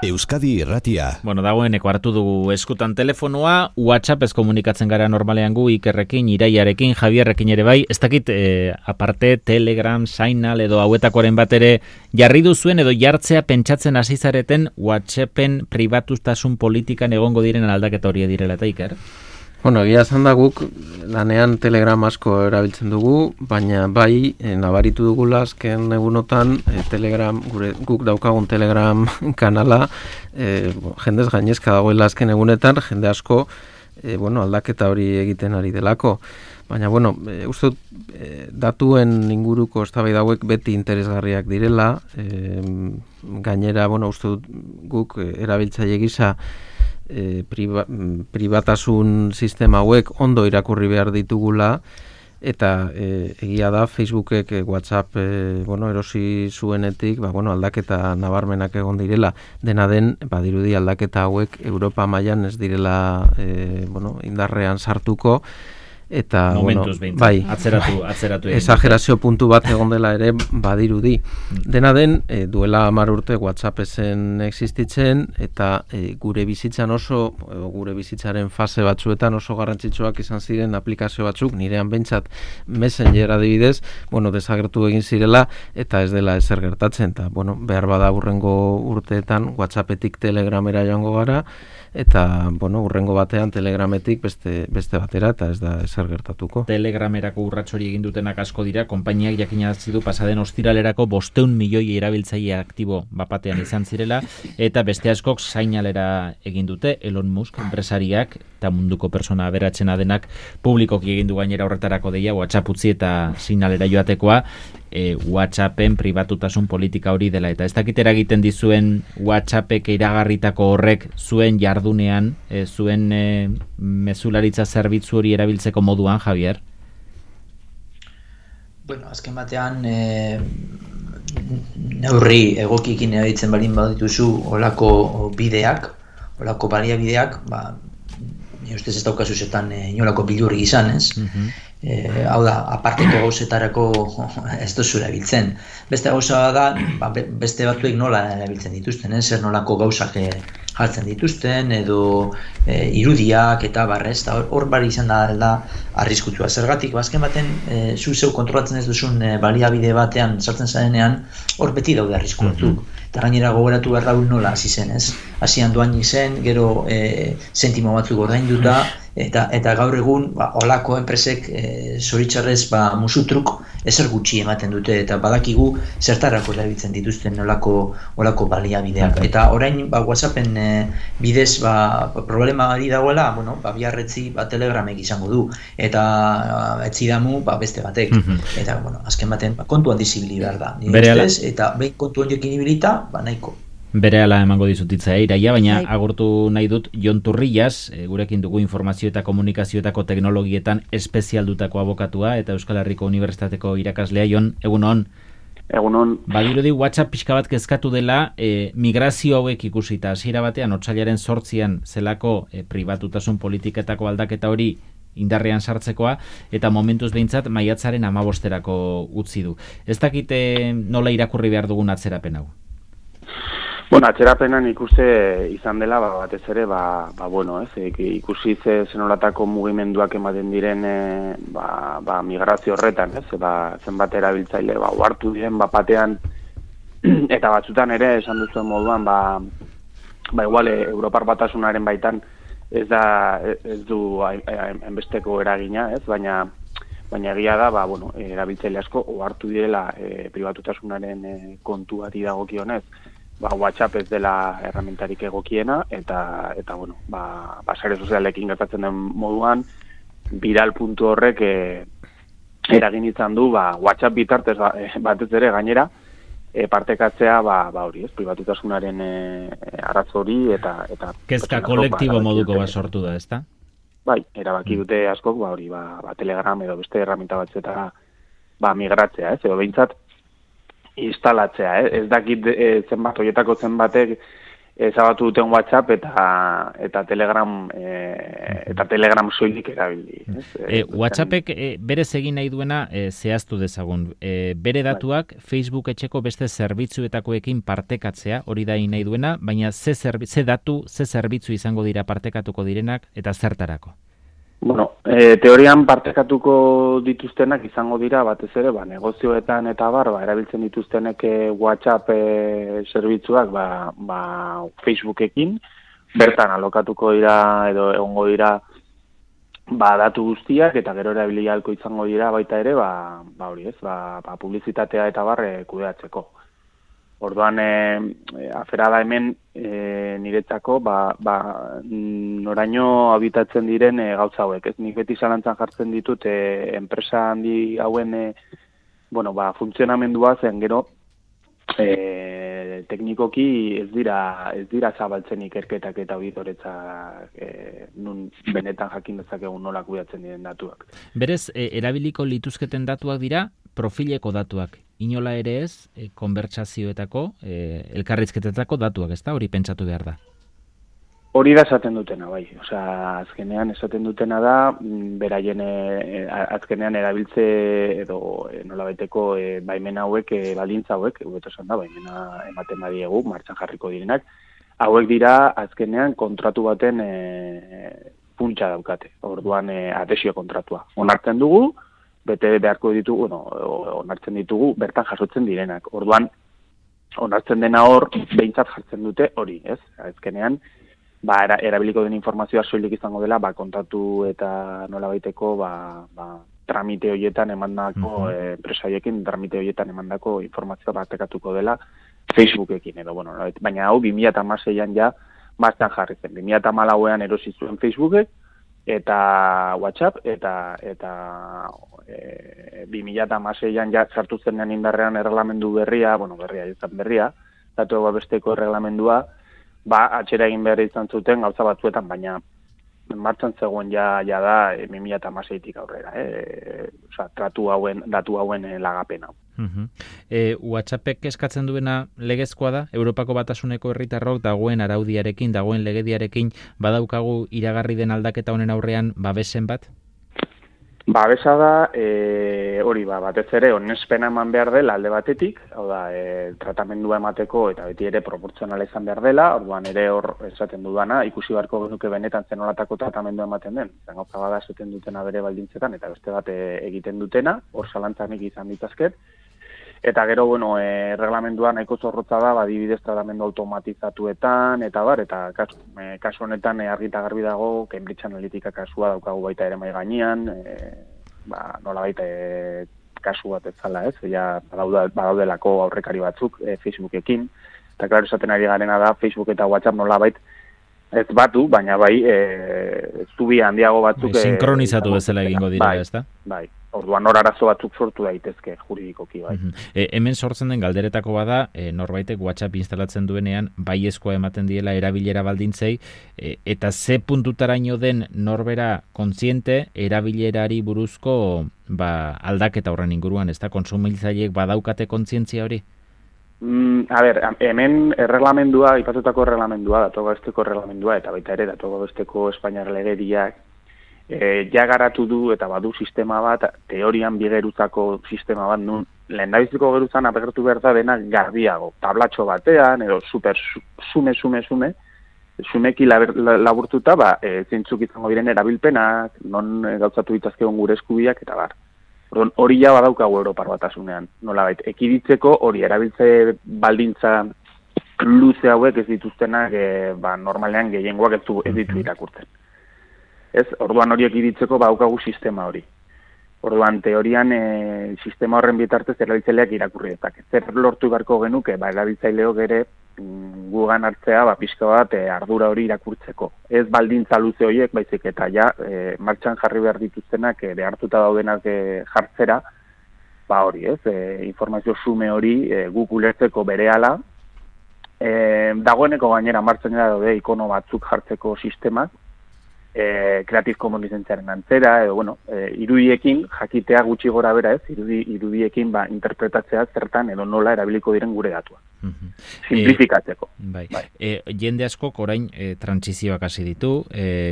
Euskadi Irratia. Bueno, dagoeneko hartu dugu eskutan telefonoa, WhatsApp ez komunikatzen gara normalean gu, Ikerrekin, Iraiarekin, Javierrekin ere bai, ez dakit aparte Telegram, Signal edo hauetakoren bat ere jarri duzuen edo jartzea pentsatzen hasi zareten WhatsAppen pribatutasun politikan egongo diren aldaketa hori direla eta Iker? Bueno, egia esan da guk lanean Telegram asko erabiltzen dugu, baina bai nabaritu dugula azken egunotan Telegram, guk daukagun Telegram kanala jendez gainezka dagoela azken egunetan, jende asko aldaketa hori egiten ari delako. Baina, uste datuen inguruko eztabaida hauek beti interesgarriak direla, gainera, uste guk erabiltzaile gisa pribatasun sistema hauek ondo irakurri behar ditugula eta egia da Facebookek WhatsApp erosi zuenetik aldaketa nabarmenak egon direla. Dena den badirudi aldaketa hauek Europa mailan ez direla indarrean sartuko eta bai, atzeratu exagerazio puntu bat egon dela ere badirudi. Dena den duela 10 urte WhatsApp zen existitzen eta gure bizitzaren fase batzuetan oso garrantzitsuak izan ziren aplikazio batzuk, nirean behintzat Messenger adibidez, desagertu egin zirela eta ez dela ezer gertatzen eta behar bada hurrengo urteetan WhatsAppetik Telegramera joango gara eta hurrengo batean Telegrametik beste batera eta ez da ezer gertatuko. Telegramerako urrats hori egin dutenak asko dira, konpainiak jakinarazi du pasaden ostiralerako 500 milioi erabiltzaile aktibo bapatean izan zirela eta beste askok Signalera egin dute, Elon Musk enpresariak eta munduko persona aberatsena denak publikoki egin du gainera horretarako deia WhatsApp utzi eta Signalera joatekoa. WhatsAppen pribatutasun politika hori dela eta ez dakit eragiten dizuen WhatsAppek iragarritako horrek zuen jardunean, zuen mezularitza zerbitzu hori erabiltzeko moduan, Javier? Azken batean neurri egokikin erabiltzen balin badituzu olako bideak, olako baliabideak, ni ustez ez daukazu zetan inolako bilurri izan, ez? Hau da, aparteko gauzetarako ez duzu erabiltzen. Beste gauza da, beste batzuek nola erabiltzen dituzten, zer nolako gauzak jartzen dituzten, edo irudiak eta barrez, hor bari izan da arriskutua. Zergatik, azken baten, zu zeu kontrolatzen ez duzun baliabide batean sartzen zarenean, hor beti daude arrisku batzuk. Eta gainera gogoratu behar daun nola hasi zen, ez? Hasian doainik zen, gero zentimo batzuk ordainduta, eta gaur egun olako enpresek zoritxarrez musutruk ezer gutxi ematen dute eta badakigu zertarako erabiltzen dituzten olako baliabideak. Eta orain WhatsAppen bidez problema hori dagoela, biarretzi Telegramek izango du eta etzi damu beste batek. Eta azken baten kontuan dizibili behar da. Eta behin kontuan jokin ibilita, nahiko. Berehala emango dizutitza Iraia, baina agurtu nahi dut Jon Turrillas, gurekin dugu informazio eta komunikazioetako teknologietan espezialdutako abokatua eta Euskal Herriko Unibertsitateko irakaslea. Jon, egunon? Egunon. Badirudi WhatsApp pixka bat kezkatu dela migrazio hauek ikusita. Hasiera batean, otsailaren 8 zelako pribatutasun politiketako aldaketa hori indarrean sartzekoa, eta momentuz behintzat maiatzaren 15erako utzi du. Ez dakite nola irakurri behar dugun atzerapen hau? Atzerapenan ikuste izan dela, batez ere, ikusi zenolatako mugimenduak ematen diren migrazio horretan, zenbat erabiltzaile uhartu diren batean, eta batzutan ere, esan duzuen moduan, igual Europar Batasunaren baitan ez du enbesteko eragina, baina egia da, erabiltzaile asko uhartu direla pribatutasunaren kontuari dagokionez, WhatsApp ez dela erramentarik egokiena eta sare sozialekin gertatzen den moduan viral puntu horrek eragin izan du WhatsApp bitartez batez ere gainera partekatzea hori, pribatutasunaren arazo hori eta kezka kolektibo moduko sortu da, ezta? Bai, erabaki dute askok Telegram edo beste erraminta batzuetara migratzea, edo behintzat instalatzea, ez dakit zenbat horietako zenbatek ezabatu duten WhatsApp eta Telegram soilik erabili. WhatsAppek berez egin nahi duena zehaztu dezagun. Bere datuak Facebook etxeko beste zerbitzuetakoekin partekatzea, hori da nahi duena, baina ze zerbitzu izango dira partekatuko direnak eta zertarako? Bueno, teorian partekatuko dituztenak izango dira batez ere, negozioetan eta erabiltzen dituztenek WhatsApp zerbitzuak Facebookekin, bertan alokatuko dira edo egongo dira datu guztiak eta gero erabili ahalko izango dira baita ere, publizitatea eta kudeatzeko. Orduan, afera da hemen niretzako, noraino habitatzen diren gauza hauek. Nik beti zalantzan jartzen ditut enpresa handi hauen funtzionamendua zen gero teknikoki ez dira zabaltzen ikerketak eta auditoretzak nun benetan jakin dezakegun nola kudeatzen diren datuak. Berez, erabiliko lituzketen datuak dira profileko datuak. Inola ere ez, konbertsazioetako, elkarrizketetako datuak, ez da? Hori pentsatu behar da. Hori da esaten dutena, bai. Osea, azkenean esaten dutena da, beraien azkenean erabiltze edo nolabaiteko baimen hauek, baldintza hauek, hobeto esan da, baimena ematen badiegu, martxan jarriko direnak, hauek dira azkenean kontratu baten funtsa daukate. Orduan adhesio kontratua. Onartzen dugu, bete beharko ditugu, onartzen ditugu, bertan jasotzen direnak. Orduan, onartzen dena hor, behintzat jartzen dute hori, ez? Azkenean, erabiliko den informazioa soilik izango dela, kontatu eta nolabaiteko, tramite horietan emandako, enpresaiekin tramite horietan emandako informazioa partekatuko dela Facebookekin edo, baina hau 2016an ja martxan jarri zen. 2014an erosi zuen Facebookek, eta WhatsApp, eta 2016an ja sartu zenean indarrean erreglamendu berria, datu babesteko erreglamendua, atxera egin behar izan zuten gauza batzuetan, baina martxan zegoen ja da 2016tik aurrera, datu hauen lagapen hau. WhatsAppek eskatzen duena legezkoa da, Europako Batasuneko herritarrok dagoen araudiarekin, dagoen legediarekin, badaukagu iragarri den aldaketa honen aurrean babesen bat? Babesa da, hori batez ere, onespena eman behar dela alde batetik, hau da, tratamendua emateko eta beti ere proportzionala izan behar dela, orduan ere hor esaten dudana, ikusi beharko genuke benetan zenolatako tratamendua ematen den, gauza bada esaten dutena bere baldintzetan, eta beste bat egiten dutena, hor zalantzanik izan ditazket, eta gero, erreglamenduan nahiko zorrotza da, adibidez tratamendu automatizatuetan, eta kasu honetan argi eta garbi dago, Cambridge Analytica kasua daukagu baita ere mai gainean, nola baita kasu bat ez zala, ez? Badaudelako aurrekari batzuk Facebookekin, eta klaro esaten ari garena da, Facebook eta WhatsApp nola baita ez batu, baina zubi handiago batzuk... Sinkronizatu bezala egingo dira, ez da? Bai. Orduan hor arazo batzuk sortu daitezke juridikoki, bai. Hemen sortzen den galderetako bada, norbaitek WhatsApp instalatzen duenean, baiezkoa ematen diela erabilera baldintzei, eta ze puntutaraino den norbera kontziente erabilerari buruzko aldaketa horren inguruan, ez da? Kontsumitzaileek badaukate kontzientzia hori? Hemen erreglamendua, ipatutako erreglamendua, datuago besteko erreglamendua, eta baita ere datuago besteko Espainiar legediak, ja garatu du eta badu sistema bat, teorian bigeruzako sistema bat, nun lehendabiziko geruzan apertu behar da dena garbiago, tablatxo batean, edo super sumeki laburtuta, zeintzuk izango diren erabilpenak, non gauzatu ditazkegon gure eskubiak, eta bar. Hori ja badaukagu Europar Batasunean, nolabait, ekiditzeko hori erabiltze baldintza luze hauek ez dituztenak, normalean gehiengoak ez ditu irakurtzen. Orduan horiek iditzeko badaukagu sistema hori. Orduan, teorian, sistema horren bitartez erabiltzaileak irakurri ezak. Zer lortu beharko genuke, erabiltzaileok ere gugan hartzea, pixka bat ardura hori irakurtzeko. Ez baldintza luze horiek, baizik eta martxan jarri behar dituztenak behartuta daudenak jartzera, hori, informazio sume hori guk ulertzeko berehala. Dagoeneko gainera martxan daude ikono batzuk jartzeko sistemak, Creative Commons lizentziaren antzera, edo, irudiekin jakitea gutxi gora bera irudiekin interpretatzea zertan edo nola erabiliko diren gure datuak. simplifikatzeko. Bai. Jende askok orain trantsizioak hasi ditu,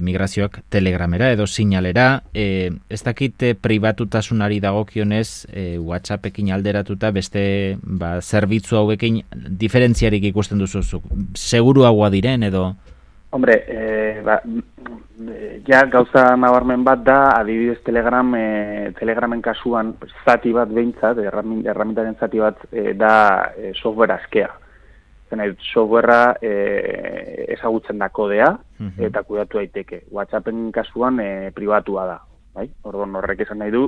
migrazioak Telegramera edo Signalera, ez dakit pribatutasunari dagokionez WhatsAppekin alderatuta beste zerbitzu hauekin diferentziarik ikusten duzu, seguruagoa diren edo? Hombre, ja gauza nabarmen bat da, adibidez Telegramen kasuan zati bat behintzat, erramintaren zati bat da software askea. Softwarea ezagutzen da kodea eta kudatu daiteke. WhatsAppen kasuan pribatua da. Bai? Orduan horrek esan nahi du,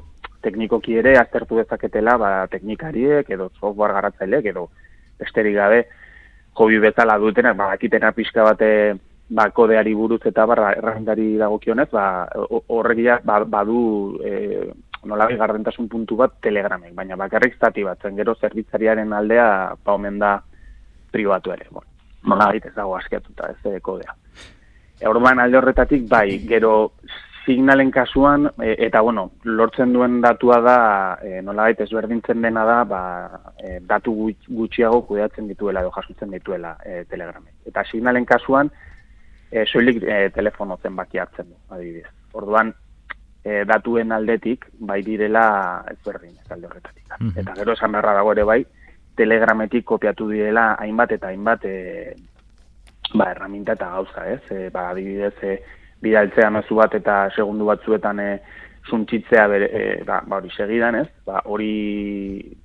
teknikoki ere aztertu dezaketela teknikariek edo software garatzaileek edo besterik gabe hobi bezala dutenak, dakitena pixka bate kodeari buruz eta erragindari dagokionez, horregia badu nolabai gardentasun puntu bat Telegramek, baina bakarrik zati bat, zen gero zerbitzariaren aldea omen da pribatu ere. Nolabait ez dago askiatuta ez kodea. Orduan alde horretatik gero Signalen kasuan, eta lortzen duen datua da, nolabait ezberdintzen dena da, datu gutxiago kudeatzen dituela edo jasotzen dituela Telegramek. Eta Signalen kasuan, soilik telefono zenbaki hartzen du, adibidez. Orduan, datuen aldetik, direla ezberdin, ez alde horretatik. Eta gero esan beharra dago ere Telegrametik kopiatu direla hainbat eta hainbat erraminta eta gauza, ez? Adibidez, bidaltzea mezu bat eta segundu batzuetan suntxitzea hori segidan, ez? Hori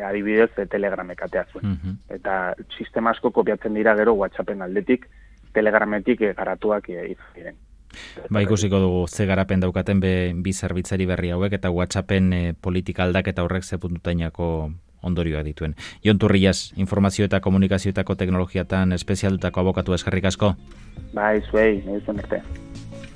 adibidez Telegramek atea zuen. Eta sistema asko kopiatzen dira gero WhatsAppen aldetik, Telegrametik garatuak diren. Ikusiko dugu ze garapen daukaten bi zerbitzari berri hauek eta WhatsAppen politika aldaketa horrek ze puntutainako ondorioa dituen. Jon Turrias, informazio eta komunikazioetako teknologiatan espezialdutako abokatu eskerrik asko. Zuei, nahi zuen arte.